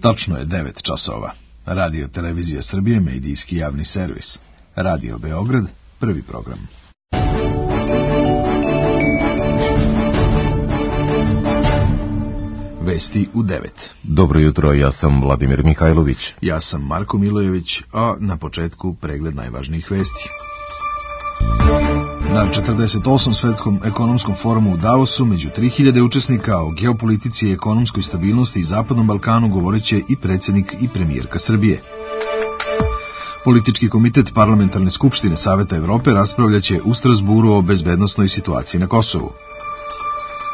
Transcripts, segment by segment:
Tačno je 9 časova. Radio Televizija Srbije, medijski javni servis. Radio Beograd, prvi program. Vesti u 9. Dobro jutro, ja sam Vladimir Mihajlović. Ja sam Marko Milojević, a na početku pregled najvažnijih vesti. Na 48. svetskom ekonomskom forumu u Davosu među 3000 učesnika o geopolitici i ekonomskoj stabilnosti i Zapadnom Balkanu govoreće i predsjednik i premijerka Srbije. Politički komitet Parlamentarne skupštine Saveta Evrope raspravljaće u Strasburu o bezbednosnoj situaciji na Kosovu.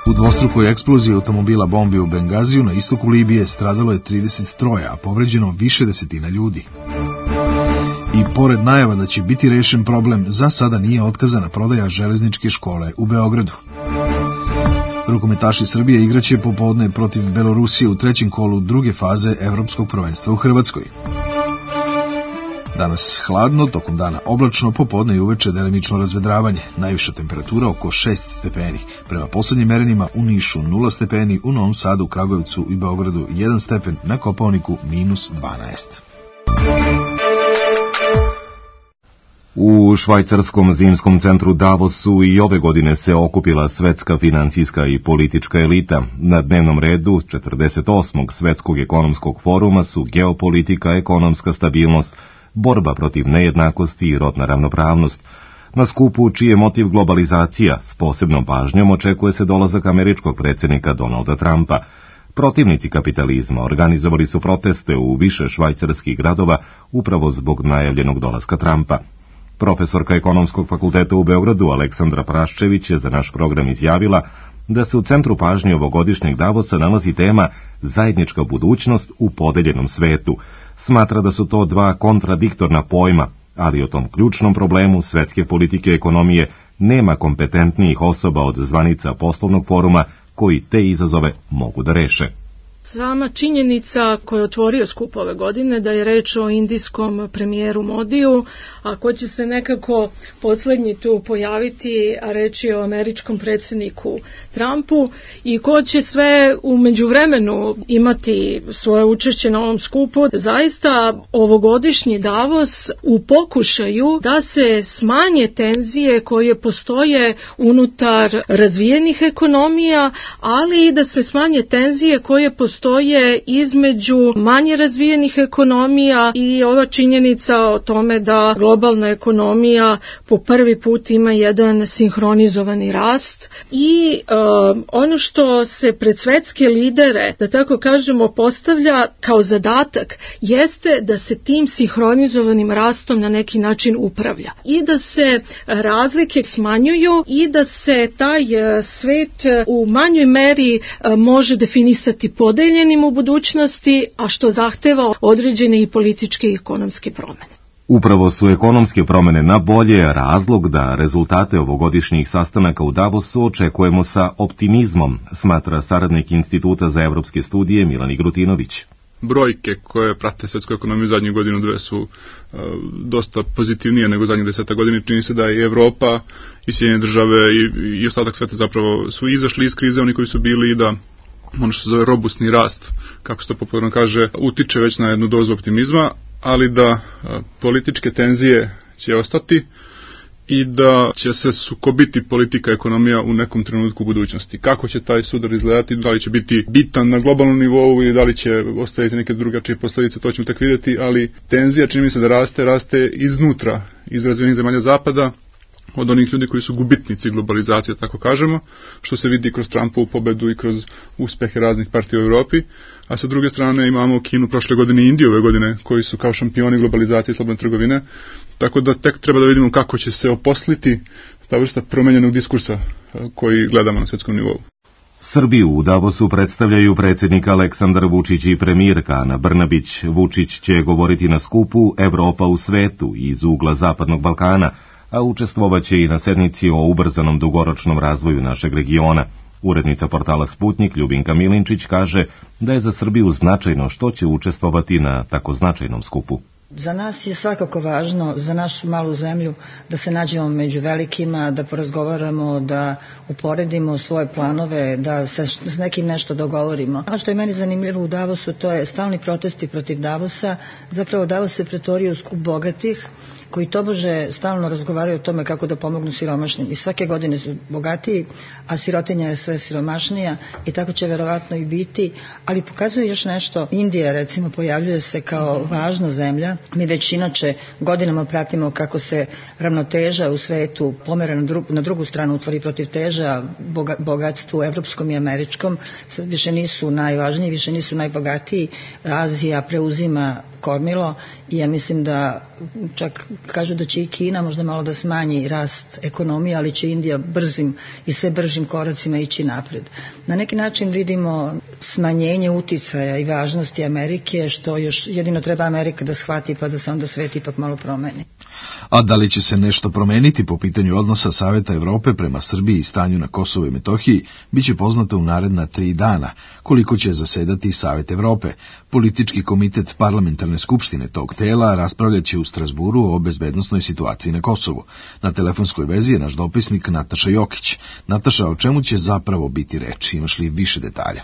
U dvostrukoj eksploziji automobila bombi u Bengaziju na istoku Libije stradalo je 33, a povređeno više desetina ljudi. I pored najava da će biti rešen problem, za sada nije otkazana prodaja železničke škole u Beogradu. Rukometaši Srbije igraće popodne protiv Belorusije u trećem kolu druge faze Evropskog prvenstva u Hrvatskoj. Danas hladno, tokom dana oblačno, popodne i uveče delimično razvedravanje. Najviša temperatura oko 6 stepeni. Prema poslednjim merenjima u Nišu 0 stepeni, u Novom Sadu, Kragujevcu i Beogradu 1 stepen, na Kopaoniku -12. U švajcarskom zimskom centru Davosu i ove godine se okupila svetska finansijska i politička elita. Na dnevnom redu 48. svetskog ekonomskog foruma su geopolitika, ekonomska stabilnost, borba protiv nejednakosti i rodna ravnopravnost. Na skupu, čiji je motiv globalizacija, s posebnom pažnjom očekuje se dolazak američkog predsjednika Donalda Trumpa. Protivnici kapitalizma organizovali su proteste u više švajcarskih gradova upravo zbog najavljenog dolaska Trumpa. Profesorka Ekonomskog fakulteta u Beogradu Aleksandra Praščević je za naš program izjavila da se u centru pažnje ovogodišnjeg Davosa nalazi tema zajednička budućnost u podeljenom svetu. Smatra da su to dva kontradiktorna pojma, ali o tom ključnom problemu svetske politike i ekonomije nema kompetentnijih osoba od zvanica poslovnog foruma koji te izazove mogu da reše. Sama činjenica koja je otvorio skup ove godine da je reč o indijskom premijeru Modiju, a ko će se nekako poslednji tu pojaviti, a reč je o američkom predsjedniku Trumpu i ko će sve u međuvremenu imati svoje učešće na ovom skupu. Zaista ovogodišnji Davos u pokušaju da se smanje tenzije koje postoje unutar razvijenih ekonomija, ali i da se smanje tenzije koje postoje između manje razvijenih ekonomija i ova činjenica o tome da globalna ekonomija po prvi put ima jedan sinhronizovani rast i ono što se pred svetske lidere, da tako kažemo, postavlja kao zadatak jeste da se tim sinhronizovanim rastom na neki način upravlja i da se razlike smanjuju i da se taj svet u manjoj meri može definisati podeljenim u budućnosti, a što zahteva određene i političke i ekonomske promene. Upravo su ekonomske promene na bolje razlog da rezultate ovogodišnjih sastanaka u Davosu očekujemo sa optimizmom, smatra saradnik Instituta za evropske studije Milan Igrutinović. Brojke koje prate svetsku ekonomiju zadnjih godinu dve su dosta pozitivnije nego zadnjih 10 godina. Čini se da i Evropa i Sjedinjene države i ostatak sveta zapravo su izašli iz krize, oni koji su bili, i da ono što se zove robustni rast, kako se to popularno kaže, utiče već na jednu dozu optimizma, ali da političke tenzije će ostati i da će se sukobiti politika i ekonomija u nekom trenutku u budućnosti. Kako će taj sudar izgledati, da li će biti bitan na globalnom nivou ili da li će ostaviti neke drugačije posljedice, to ćemo tek vidjeti, ali tenzija čini mi se da raste iznutra, iz razvijenih zemalja zapada, od onih ljudi koji su gubitnici globalizacije, tako kažemo, što se vidi kroz Trumpovu pobedu i kroz uspehe raznih partija u Europi, a sa druge strane imamo Kinu prošle godine i Indiju ove godine, koji su kao šampioni globalizacije i slobodne trgovine, tako da tek treba da vidimo kako će se oposliti ta vrsta promenjenog diskursa koji gledamo na svetskom nivou. Srbiju u Davosu predstavljaju predsjednik Aleksandar Vučić i premijerka Ana Brnabić. Vučić će govoriti na skupu Evropa u svetu iz ugla Zapadnog Balkana, a učestvovaće i na sednici o ubrzanom dugoročnom razvoju našeg regiona. Urednica portala Sputnik Ljubinka Milinčić kaže da je za Srbiju značajno što će učestvovati na tako značajnom skupu. Za nas je svakako važno, za našu malu zemlju, da se nađemo među velikima, da porazgovaramo, da uporedimo svoje planove, da se s nekim nešto dogovorimo. Ono što je meni zanimljivo u Davosu, to je stalni protesti protiv Davosa. Zapravo Davos se pretvorio u skup bogatih, koji tobože stalno razgovaraju o tome kako da pomognu siromašnim. I svake godine su bogatiji, a sirotinja je sve siromašnija i tako će verovatno i biti. Ali pokazuje još nešto. Indija, recimo, pojavljuje se kao važna zemlja. Mi već inače godinama pratimo kako se ravnoteža u svetu pomera na drugu stranu, utvori protiv teža bogatstvu evropskom i američkom. Više nisu najvažniji, više nisu najbogatiji. Azija preuzima kormilo i ja mislim da čak kažu da će i Kina možda malo da smanji rast ekonomije, ali će Indija brzim i sve bržim koracima ići napred. Na neki način vidimo smanjenje uticaja i važnosti Amerike, što još jedino treba Amerika da shvati pa da se onda svet ipak malo promeni. A da li će se nešto promeniti po pitanju odnosa Saveta Evrope prema Srbiji i stanju na Kosovu i Metohiji, bit će poznato u naredna 3 dana, koliko će zasedati Savet Evrope. Politički komitet parlamentarne skupštine tog tela raspravljaće u Strasburu o bezbednosnoj situaciji na Kosovu. Na telefonskoj vezi je naš dopisnik Nataša Jokić. Nataša, o čemu će zapravo biti reč? Imaš li više detalja?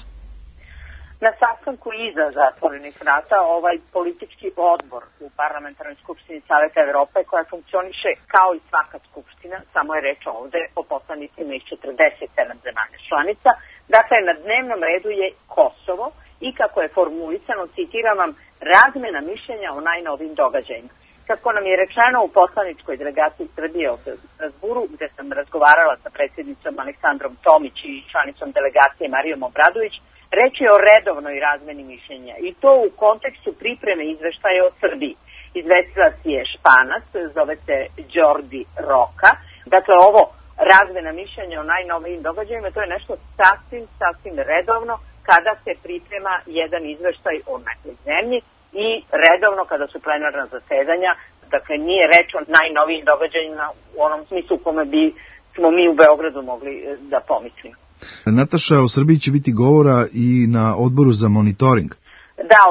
Na sastanku iza zatvorenih vrata ovaj politički odbor u parlamentarnoj skupštini Saveta Evrope, koja funkcioniše kao i svaka skupština, samo je reč ovde o poslanicima iz 47 zemalja članica. Dakle, na dnevnom redu je Kosovo i kako je formulisano, citiram vam, razmena mišljenja o najnovijim događajima. Kako nam je rečeno u poslaničkoj delegaciji Srbije u Strasburu, gde sam razgovarala sa predsjednicom Aleksandrom Tomić i članicom delegacije Marijom Obradović, reč je o redovnoj razmeni mišljenja i to u kontekstu pripreme izveštaja o Srbiji. Izvestilac je Španac, zove se Đordi Roka. Dakle, ovo razmena mišljenja o najnovijim događajima, to je nešto sasvim redovno kada se priprema jedan izveštaj o nekoj zemlji i redovno kada su plenarna zasedanja. Dakle, nije reč o najnovijim događajima u onom smislu u kome bi smo mi u Beogradu mogli da pomislimo. Nataša, o Srbiji će biti govora i na odboru za monitoring. Da,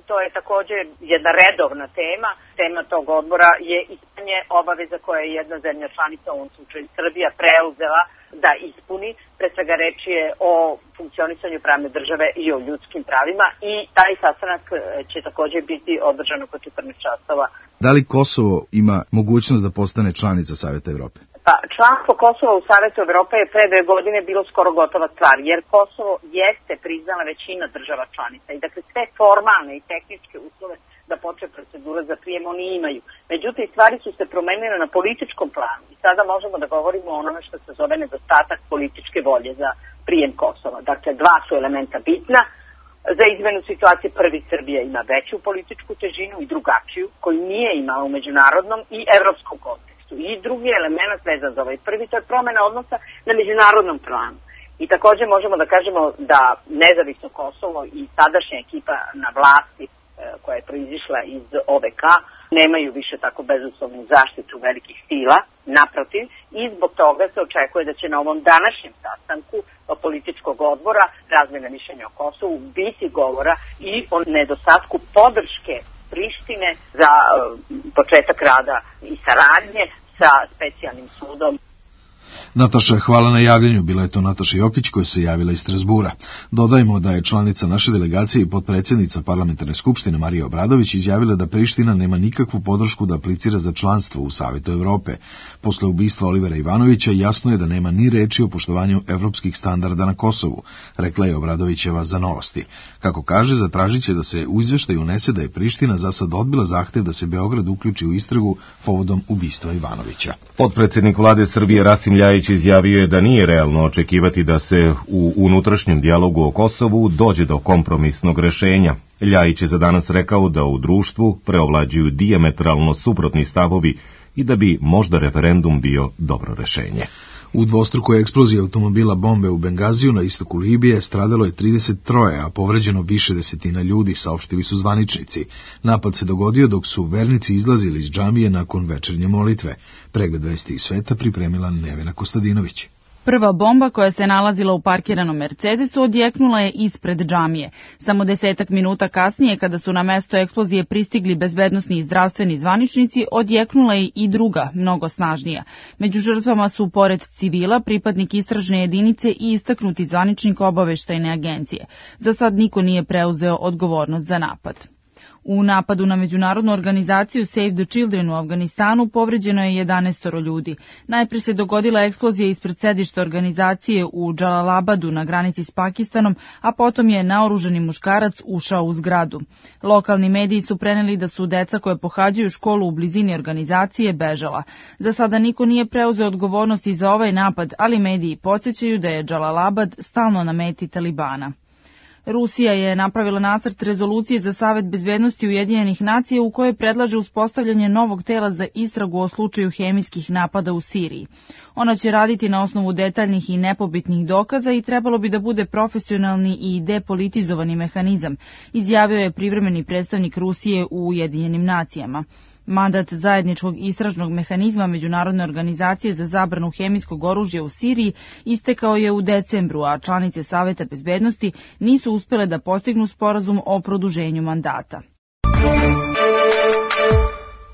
to je također jedna redovna tema. Tema tog odbora je ispunjenje obaveza koje je jedna zemlja članica, u ovom slučaju Srbija, preuzela da ispuni. Pre svega reč je o funkcionisanju pravne države i o ljudskim pravima i taj sastanak će također biti održan oko 14 časova. Da li Kosovo ima mogućnost da postane članica Saveta Evrope? Pa, članstvo Kosova u Savetu Evrope je pre 2 godine bilo skoro gotova stvar, jer Kosovo jeste priznala većina država članica i dakle sve formalne i tehničke uslove da počne procedura za prijem oni imaju. Međutim, stvari su se promenile na političkom planu i sada možemo da govorimo o onome što se zove nedostatak političke volje za prijem Kosova. Dakle, 2 su elementa bitna. Za izmenu situacije prvi, Srbija ima veću političku težinu i drugačiju, koju nije imala u međunarodnom i evropskom kontekstu. I drugi element vezan za ovaj prvi, to je promena odnosa na međunarodnom planu. I također možemo da kažemo da nezavisno Kosovo i sadašnja ekipa na vlasti koja je proizišla iz OVK nemaju više tako bezuslovnu zaštitu velikih sila, naprotiv, i zbog toga se očekuje da će na ovom današnjem sastanku političkog odbora razmjena mišljenja o Kosovu biti govora i o nedostatku podrške Prištine za početak rada i saradnje sa specijalnim sudom. Nataša, hvala na javljanju. Bila je to Nataša Jokić koja se javila iz Strasbura. Dodajmo da je članica naše delegacije i potpredsjednica parlamentarne skupštine Marija Obradović izjavila da Priština nema nikakvu podršku da aplicira za članstvo u Savetu Evrope. Posle ubistva Olivera Ivanovića jasno je da nema ni reči o poštovanju evropskih standarda na Kosovu, rekla je Obradovićeva za Novosti. Kako kaže, zatražit će da se u izveštaju unese da je Priština za sad odbila zahtev da se Beograd uključi u istragu povodom ubistva Ivanovića. Potpredsjednik vlade Srbije Rasim Ljajić izjavio je da nije realno očekivati da se u unutrašnjem dijalogu o Kosovu dođe do kompromisnog rešenja. Ljajić je za danas rekao da u društvu preovlađuju dijametralno suprotni stavovi i da bi možda referendum bio dobro rešenje. U dvostrukoj eksploziji automobila bombe u Bengaziju na istoku Libije stradalo je 33, a povređeno više desetina ljudi, saopštili su zvaničnici. Napad se dogodio dok su vernici izlazili iz džamije nakon večernje molitve. Pregled vesti iz sveta pripremila Nevena Kostadinović. Prva bomba koja se nalazila u parkiranom Mercedesu odjeknula je ispred džamije. Samo 10 minuta kasnije, kada su na mesto eksplozije pristigli bezbednosni i zdravstveni zvaničnici, odjeknula je i druga, mnogo snažnija. Među žrtvama su, pored civila, pripadnik istražne jedinice i istaknuti zvaničnik obaveštajne agencije. Za sad niko nije preuzeo odgovornost za napad. U napadu na međunarodnu organizaciju Save the Children u Afganistanu povređeno je 11 ljudi. Najpre se dogodila eksplozija ispred sedišta organizacije u Džalalabadu na granici s Pakistanom, a potom je naoružani muškarac ušao u zgradu. Lokalni mediji su preneli da su deca koje pohađaju školu u blizini organizacije bežala. Za sada niko nije preuzeo odgovornost i za ovaj napad, ali mediji podsjećaju da je Džalalabad stalno na meti Talibana. Rusija je napravila nacrt rezolucije za Savet bezbednosti Ujedinjenih nacija u kojoj predlaže uspostavljanje novog tela za istragu o slučaju hemijskih napada u Siriji. Ona će raditi na osnovu detaljnih i nepobitnih dokaza i trebalo bi da bude profesionalni i depolitizovani mehanizam, izjavio je privremeni predstavnik Rusije u Ujedinjenim nacijama. Mandat zajedničkog istražnog mehanizma Međunarodne organizacije za zabranu hemijskog oružja u Siriji istekao je u decembru, a članice Saveta bezbednosti nisu uspele da postignu sporazum o produženju mandata.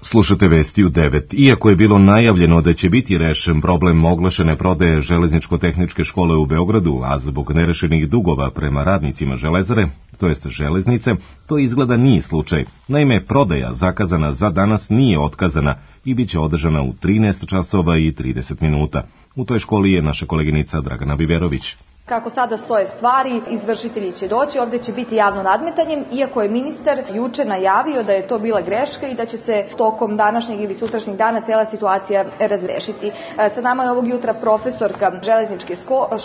Slušate vesti u 9. Iako je bilo najavljeno da će biti rešen problem oglašene prodaje železničko-tehničke škole u Beogradu, a zbog nerešenih dugova prema radnicima železare, to jest železnice, to izgleda nije slučaj. Naime, prodaja zakazana za danas nije otkazana i bit će održana u 13 časova i 30 minuta. U toj školi je naša koleginica Dragana Biverović. Kako sada stoje stvari, izvršitelji će doći, ovdje će biti javno nadmetanje, iako je ministar juče najavio da je to bila greška i da će se tokom današnjeg ili sutrašnjeg dana cijela situacija razrešiti. Sa nama je ovog jutra profesorka železničke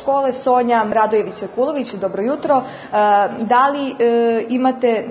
škole Sonja Radojević-Sekulović. Dobro jutro. Da li imate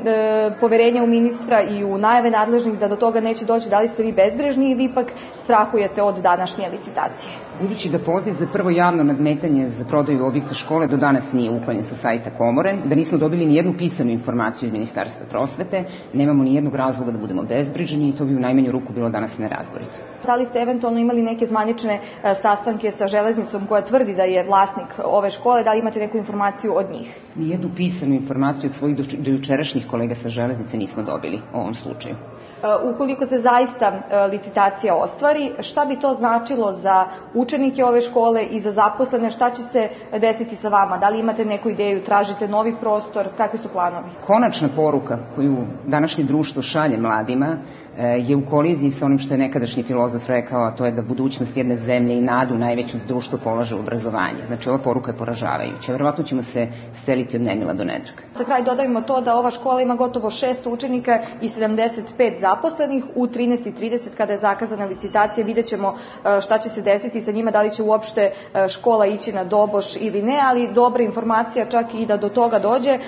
poverenje u ministra i u najave nadležnih da do toga neće doći? Da li ste vi bezbrižni ili ipak strahujete od današnje licitacije? Budući da poziv za prvo javno nadmetanje za prodaju objekta škole do danas nije uklonjen sa sajta Komore, da nismo dobili ni jednu pisanu informaciju iz Ministarstva prosvete, nemamo ni jednog razloga da budemo bezbrižni i to bi u najmanju ruku bilo danas nerazborito. Da li ste eventualno imali neke zvanične sastanke sa železnicom koja tvrdi da je vlasnik ove škole, da li imate neku informaciju od njih? Ni jednu pisanu informaciju od svojih dojučerašnjih kolega sa železnice nismo dobili u ovom slučaju. Ukoliko se zaista licitacija ostvari, šta bi to značilo za učenike ove škole i za zaposlene, šta će se desiti sa vama? Da li imate neku ideju, tražite novi prostor, kakvi su planovi? Konačna poruka koju današnje društvo šalje mladima je u koliziji sa onim što je nekadašnji filozof rekao, a to je da budućnost jedne zemlje i nadu najvećem društvu polaže u obrazovanje. Znači, ova poruka je poražavajuća. Verovatno ćemo se seliti od nemila do nedraga. Za kraj dodajmo to da ova škola ima gotovo 600 učenika i 75 zaposlenih. U 13:30 kada je zakazana licitacija vidjet ćemo šta će se desiti sa njima, da li će uopšte škola ići na doboš ili ne, ali dobra informacija čak i da do toga dođe.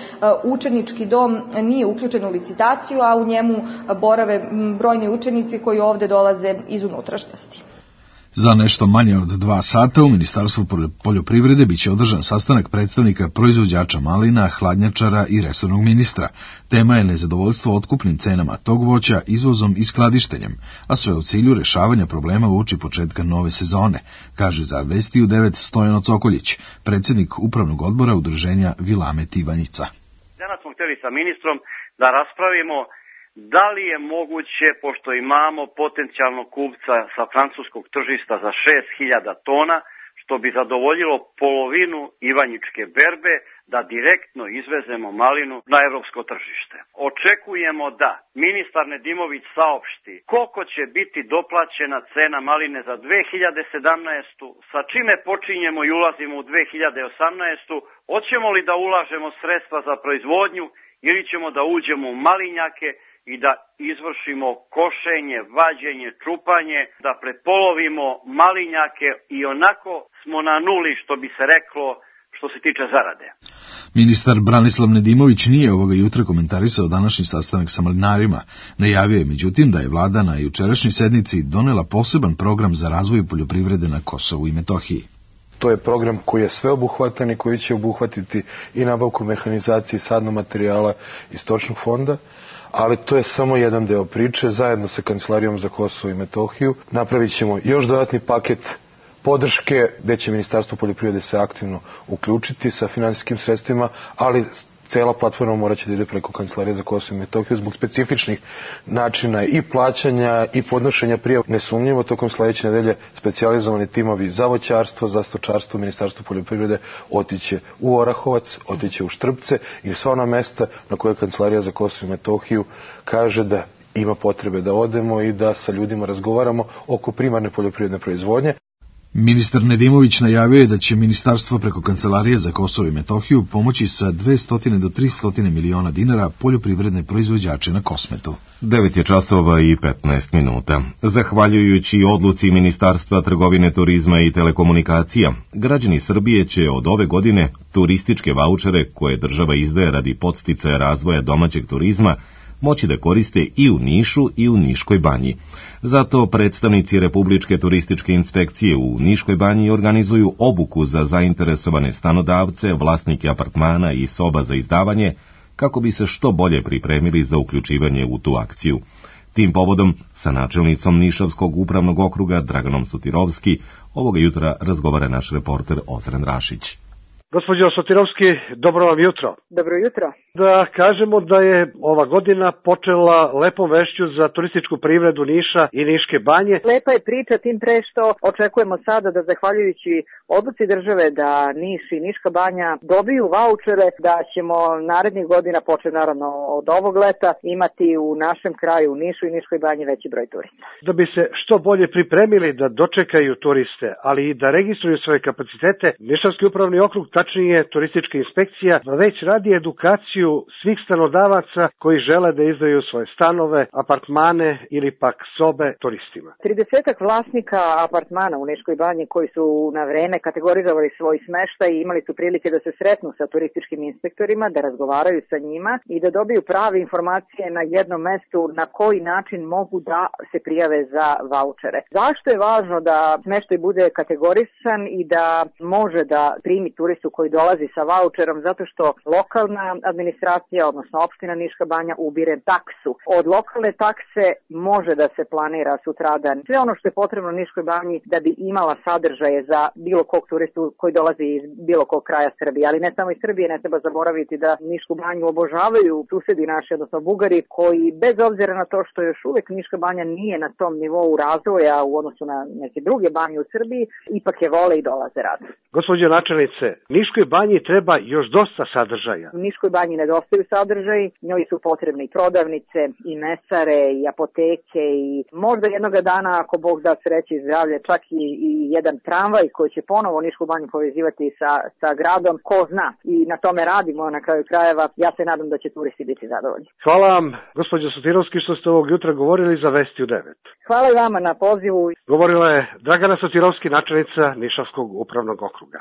Učenički dom nije uključen u licitaciju, a u njemu borave brojni učenici koji ovde dolaze iz unutrašnjosti. Za nešto manje od 2 sata u Ministarstvu poljoprivrede biće održan sastanak predstavnika proizvođača malina, hladnjačara i resornog ministra. Tema je nezadovoljstvo otkupnim cenama tog voća, izvozom i skladištenjem, a sve u cilju rešavanja problema uoči početka nove sezone, kaže za Vesti u 9 Stojano Cokoljić, predsjednik upravnog odbora udruženja Vilamet Ivanjica. Danas smo htjeli sa ministrom da raspravimo da li je moguće, pošto imamo potencijalnog kupca sa francuskog tržišta za 6.000 tona, što bi zadovoljilo polovinu ivanjičke berbe, da direktno izvezemo malinu na evropsko tržište. Očekujemo da ministar Nedimović saopšti koliko će biti doplaćena cena maline za 2017. sa čime počinjemo i ulazimo u 2018. Hoćemo li da ulažemo sredstva za proizvodnju ili ćemo da uđemo u malinjake i da izvršimo košenje, vađenje, čupanje, da prepolovimo malinjake i onako smo na nuli, što bi se reklo, što se tiče zarade. Ministar Branislav Nedimović nije ovoga jutra komentarisao današnji sastanak sa malinarima. Najavio je međutim da je vlada na jučerašnjoj sednici donela poseban program za razvoj poljoprivrede na Kosovu i Metohiji. To je program koji je sveobuhvatan i koji će obuhvatiti i nabavku mehanizacije, sadnog materijala i stočnog fonda, ali to je samo jedan deo priče. Zajedno sa Kancelarijom za Kosovo i Metohiju napravit ćemo još dodatni paket podrške gde će Ministarstvo poljoprivrede se aktivno uključiti sa finansijskim sredstvima, ali cela platforma morat će da ide preko Kancelarije za Kosovo i Metohiju zbog specifičnih načina i plaćanja i podnošenja prijava. Nesumnjivo, tokom sledeće nedelje specijalizovani timovi za voćarstvo, za stočarstvo, Ministarstvo poljoprivrede otiće u Orahovac, otiće u Štrpce i sva ona mesta na koje Kancelarija za Kosovo i Metohiju kaže da ima potrebe da odemo i da sa ljudima razgovaramo oko primarne poljoprivredne proizvodnje. Ministar Nedimović najavio je da će ministarstvo preko Kancelarije za Kosovo i Metohiju pomoći sa 200 do 300 miliona dinara poljoprivredne proizvođače na Kosmetu. 9 je časova i 15 minuta. Zahvaljujući odluci Ministarstva trgovine, turizma i telekomunikacija, građani Srbije će od ove godine turističke vaučere koje država izdaje radi podsticaja razvoja domaćeg turizma moći da koriste i u Nišu i u Niškoj banji. Zato predstavnici Republičke turističke inspekcije u Niškoj banji organizuju obuku za zainteresovane stanodavce, vlasnike apartmana i soba za izdavanje, kako bi se što bolje pripremili za uključivanje u tu akciju. Tim povodom sa načelnicom Nišavskog upravnog okruga Draganom Sotirovski ovoga jutra razgovara naš reporter Ozren Rašić. Gospođo Sotirovski, dobro vam jutro. Dobro jutro. Da kažemo da je ova godina počela lepom vešću za turističku privredu Niša i Niške banje. Lepa je priča, tim pre što očekujemo sada da zahvaljujući odluci države da Niš i Niška banja dobiju vaučere, da ćemo narednih godina, početi naravno od ovog leta, imati u našem kraju u Nišu i Niškoj banji veći broj turista. Da bi se što bolje pripremili da dočekaju turiste, ali i da registruju svoje kapacitete, Nišavski upravni okrug, tačnije turistička inspekcija, već radi edukaciju svih stanodavaca koji žele da izdaju svoje stanove, apartmane ili pak sobe turistima. 30-ak vlasnika apartmana u Niškoj banji koji su na vreme kategorizovali svoj smeštaj i imali su prilike da se sretnu sa turističkim inspektorima, da razgovaraju sa njima i da dobiju prave informacije na jednom mestu na koji način mogu da se prijave za vaučere. Zašto je važno da smeštaj bude kategorisan i da može da primi turistu koji dolazi sa vaučerom? Zato što lokalna administracija, odnosno opština Niška banja, ubire taksu. Od lokalne takse može da se planira sutradan sve ono što je potrebno Niškoj banji da bi imala sadržaje za bilo kog turistu koji dolazi iz bilo kog kraja Srbije. Ali ne samo iz Srbije, ne treba zaboraviti da Nišku banju obožavaju susedi naši, odnosno Bugari, koji bez obzira na to što još uvek Niška banja nije na tom nivou razvoja u odnosu na neke druge banje u Srbiji, ipak je vole i dolaze rado. Gospođo načelnice, Niškoj banji treba još dosta sadržaja. U Niškoj banji nedostaju sadržaj, njoj su potrebne i prodavnice, i mesare, i apoteke, i možda jednoga dana, ako Bog da sreće i zdravlje, čak i jedan tramvaj koji će ponovo Nišku banju povezivati sa gradom, ko zna. I na tome radimo na kraju krajeva, ja se nadam da će turisti biti zadovoljni. Hvala vam, gospođo Sotirovski, što ste ovog jutra govorili za Vesti u 9. Hvala i vama na pozivu. Govorila je Dragana Sotirovski, načelnica Nišavskog upravnog okruga.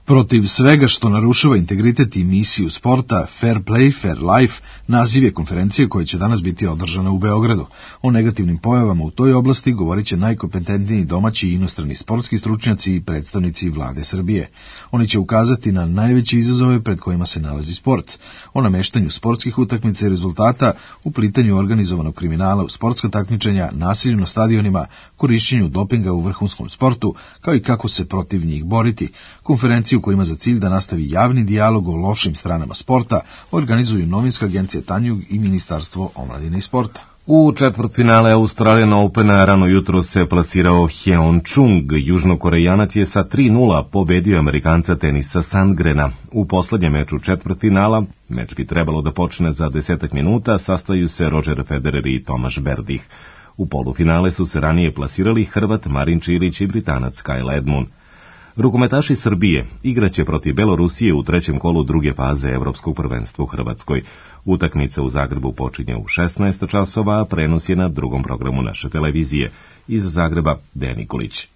Protiv svega što narušava integritet i misiju sporta, Fair Play, Fair Life, naziv je konferencije koja će danas biti održana u Beogradu. O negativnim pojavama u toj oblasti govorit će najkompetentniji domaći i inostrani sportski stručnjaci i predstavnici vlade Srbije. Oni će ukazati na najveće izazove pred kojima se nalazi sport, o nameštanju sportskih utakmica i rezultata, uplitanju organizovanog kriminala u sportska takmičenja, nasilju na stadionima, korišćenju dopinga u vrhunskom sportu, kao i kako se protiv njih boriti. Konferenciju koja ima za cilj da nastavi javni dijalog o lošim stranama sporta organizuju novinska agencija Tanjug i Ministarstvo omladine i sporta. U četvrtfinale Australian Opena rano jutro se plasirao Heon Chung. Južnokorejanac je sa 3:0 pobedio Amerikanca Tenisa Sandgrena. U poslednjem meču četvrtfinala, meč bi trebalo da počne za 10 minuta, sastaju se Roger Federer i Tomaš Berdih. U polufinale su se ranije plasirali Hrvat Marin Čilić i Britanac Kyle Edmund. Rukometaši Srbije igraće protiv Belorusije u trećem kolu druge faze Evropskog prvenstva u Hrvatskoj. Utakmica u Zagrebu počinje u 16 časova, a prenos je na drugom programu naše televizije. Iz Zagreba, Dejan Nikolić.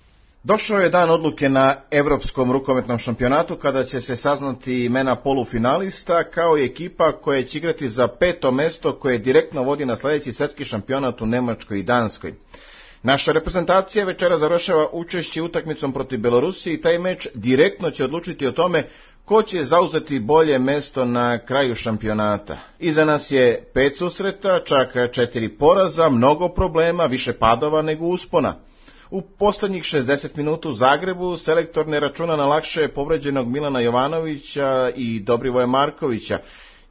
Došao je dan odluke na Evropskom rukometnom šampionatu kada će se saznati imena polufinalista kao i ekipa koja će igrati za 5. mesto koje direktno vodi na sledeći svetski šampionat u Nemačkoj i Danskoj. Naša reprezentacija večera završava učešće utakmicom protiv Belorusije i taj meč direktno će odlučiti o tome ko će zauzeti bolje mesto na kraju šampionata. Iza nas je 5 susreta, čak 4 poraza, mnogo problema, više padova nego uspona. U poslednjih 60 minuta u Zagrebu selektor ne računa na lakše povređenog Milana Jovanovića i Dobrivoja Markovića.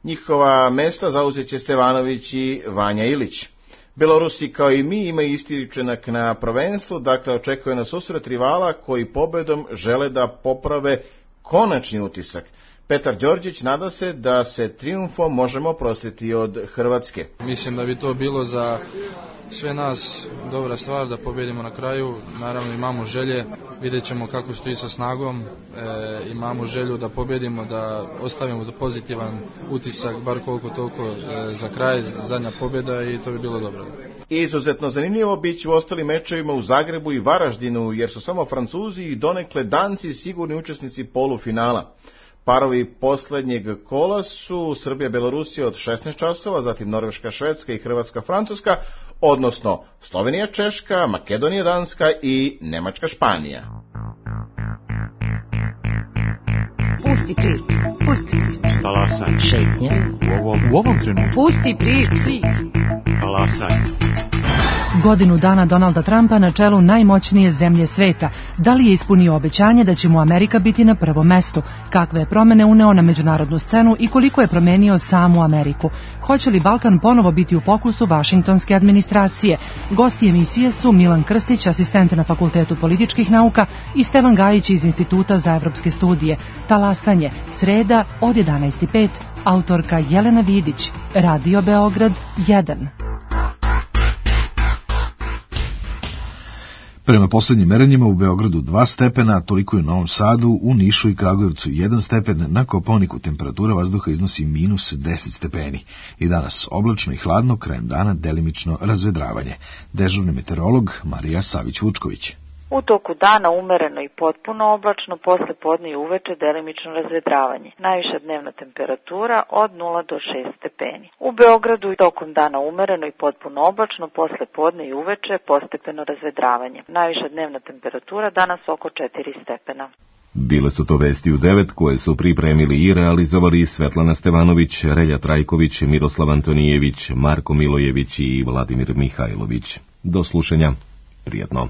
Njihova mesta zauzeće Stevanović i Vanja Ilić. Belorusi kao i mi imaju isti učinak na prvenstvu, dakle očekuje nas susret rivala koji pobedom žele da poprave konačni utisak. Petar Đorđić nada se da se trijumfom možemo oprostiti od Hrvatske. Mislim da bi to bilo za sve nas dobra stvar da pobedimo na kraju. Naravno imamo želje, vidjet ćemo kako stoji sa snagom, imamo želju da pobedimo, da ostavimo pozitivan utisak, bar koliko toliko za kraj, zadnja pobjeda i to bi bilo dobro. Izuzetno zanimljivo biće u ostalim mečevima u Zagrebu i Varaždinu, jer su samo Francuzi i donekle Danci sigurni učesnici polufinala. Parovi poslednjeg kola su Srbija-Belorusija od 16 časova, zatim Norveška-Švedska i Hrvatska-Francuska, odnosno Slovenija-Češka, Makedonija-Danska i Nemačka-Španija. Pusti priču, pusti priču. Talasaj. Šetnja. U ovom trenutku. Pusti priču. Talasaj. Godinu dana Donalda Trumpa na čelu najmoćnije zemlje sveta. Da li je ispunio obećanje da će mu Amerika biti na prvom mestu? Kakve je promene uneo na međunarodnu scenu i koliko je promenio samu Ameriku? Hoće li Balkan ponovo biti u fokusu vašingtonske administracije? Gosti emisije su Milan Krstić, asistent na Fakultetu političkih nauka, i Stevan Gajić iz Instituta za evropske studije. Talasanje, sreda od 11:05, autorka Jelena Vidić, Radio Beograd 1. Prema poslednjim merenjima u Beogradu 2 stepena, toliko i u Novom Sadu, u Nišu i Kragujevcu 1 stepen, na Kopaoniku temperatura vazduha iznosi -10 stepeni. I danas oblačno i hladno, krajem dana delimično razvedravanje. Dežurni meteorolog Marija Savić-Vučković. U toku dana umereno i potpuno oblačno, posle podne i uveče delimično razvedravanje. Najviša dnevna temperatura od 0 do 6 stepeni. U Beogradu tokom dana umereno i potpuno oblačno, posle podne i uveče postepeno razvedravanje. Najviša dnevna temperatura danas oko 4 stepena. Bile su to vesti u 9 koje su pripremili i realizovali Svetlana Stevanović, Relja Trajković, Miroslav Antonijević, Marko Milojević i Vladimir Mihajlović. Do slušanja. Prijetno.